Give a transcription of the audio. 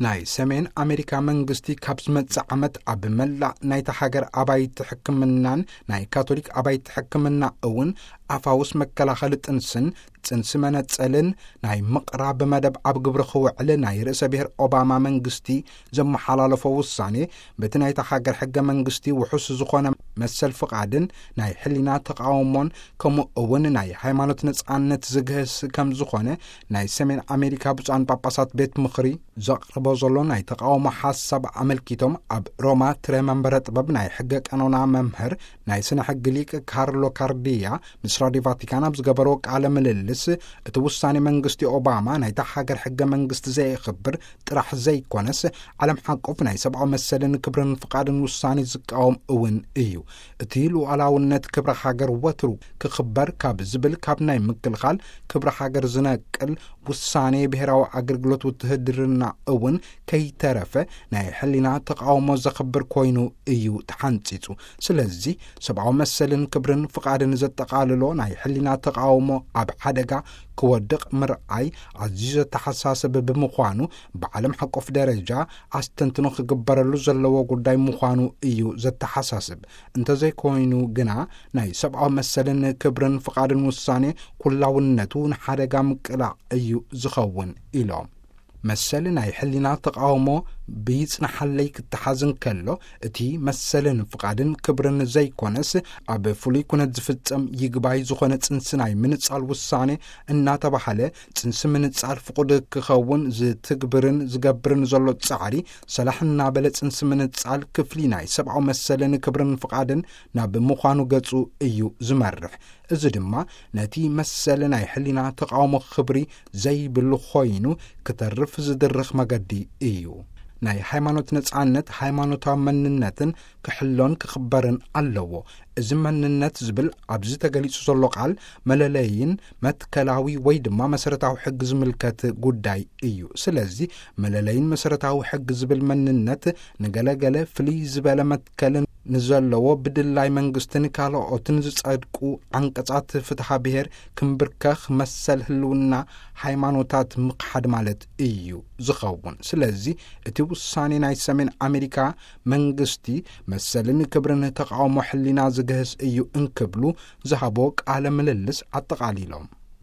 ናይ ሰሜን ኣሜሪካ መንግስቲ ካብ ዝመጽእ ዓመት ኣብ መላእ ናይታ ሃገር ኣባይቲ ሕክምናን ናይ ካቶሊክ ኣባይቲ ሕክምና እውን ኣፋውስ መከላኸሊ ጥንስን ጽንሲ መነጸልን ናይ ምቕራብ መደብ ኣብ ግብሪ ክውዕል ናይ ርእሰ ብሔር ኦባማ መንግስቲ ዘመሓላለፎ ውሳኔ በቲ ናይታ ሃገር ሕገ መንግስቲ ውሑስ ዝኾነ መሰል ፍቓድን ናይ ሕሊና ተቃውሞን ከምኡ እውን ናይ ሃይማኖት ነጻነት ዝግህስ ከም ዝኾነ ናይ ሰሜን ኣሜሪካ ብፁዓን ጳጳሳት ቤት ምኽሪ ዘቕርቦ ዘሎ ናይ ተቃውሞ ሓሳብ ኣመልኪቶም ኣብ ሮማ ትረ መንበረ ጥበብ ናይ ሕገ ቀኖና መምህር ናይ ስነ ሕጊ ሊቅ ካርሎ ካርዲያ ምስ ራዲዮ ቫቲካን ኣብ ዝገበርዎ ቃለ ምልልስ እቲ ውሳኔ መንግስቲ ኦባማ ናይታ ሃገር ሕገ መንግስቲ ዘየኽብር ጥራሕ ዘይኮነስ ዓለም ሓቆፍ ናይ ሰብኣዊ መሰልን ክብርን ፍቓድን ውሳኔ ዝቃወም እውን እዩ። እቲ ሉዓላውነት ክብሪ ሃገር ወትሩ ክኽበር ካብ ዝብል ካብ ናይ ምክልኻል ክብሪ ሃገር ዝነቅል ውሳኔ ብሔራዊ ኣገልግሎት ውትህድርና እውን ከይተረፈ ናይ ሕሊና ተቃውሞ ዘኽብር ኮይኑ እዩ ተሓንጺጹ። ስለዚ ሰብኣዊ መሰልን ክብርን ፍቓድን ዘጠቓልሎ ናይ ሕሊና ተቃውሞ ኣብ ሓደጋ ክወድቕ ምርኣይ ኣዝዩ ዘተሓሳስብ ብምዃኑ ብዓለም ሓቆፍ ደረጃ ኣስተንትኖ ክግበረሉ ዘለዎ ጉዳይ ምዃኑ እዩ ዘተሓሳስብ። እንተዘይኮይኑ ግና ናይ ሰብኣዊ መሰልን ክብርን ፍቓድን ውሳኔ ኩላውነቱ ንሓደጋ ምቅላዕ እዩ ዝኸውን ኢሎም። መሰል ናይ ሕሊና ተቃውሞ ብይጽናሓለይ ክተሓዝ እንከሎ እቲ መሰልን ፍቓድን ክብርን ዘይኮነስ ኣብ ፍሉይ ኩነት ዝፍጸም ይግባይ ዝኾነ ጽንሲ ናይ ምንጻል ውሳኔ እናተባህለ ጽንሲ ምንጻል ፍቑድ ክኸውን ዝትግብርን ዝገብርን ዘሎ ጻዕሪ ሰላሕ እናበለ ጽንሲ ምንጻል ክፍሊ ናይ ሰብኣዊ መሰልን ክብርን ፍቓድን ናብ ምዃኑ ገጹ እዩ ዝመርሕ። እዚ ድማ ነቲ መሰል ናይ ሕሊና ተቃውሞ ክብሪ ዘይብሉ ኮይኑ ክተርፍ ዝድርኽ መገዲ እዩ። ናይ ሃይማኖት ነጻነት ሃይማኖታዊ መንነትን ክሕሎን ክኽበርን ኣለዎ። እዚ መንነት ዝብል ኣብዚ ተገሊጹ ዘሎ ቃል መለለይን መትከላዊ ወይ ድማ መሰረታዊ ሕጊ ዝምልከት ጉዳይ እዩ። ስለዚ መለለይን መሰረታዊ ሕጊ ዝብል መንነት ንገለገለ ፍልይ ዝበለ መትከልን ንዘለዎ ብድላይ መንግስትን ካልኦትን ዝጸድቁ ዓንቀጻት ፍትሓ ብሔር ክምብርከኽ መሰል ህልውና ሃይማኖታት ምኽሓድ ማለት እዩ ዝኸውን። ስለዚ እቲ ውሳኔ ናይ ሰሜን ኣሜሪካ መንግስቲ መሰልን ክብርን ተቃውሞ ሕሊና ዝግህስ እዩ እንክብሉ ዝሃቦ ቃለ ምልልስ ኣጠቓሊሎም።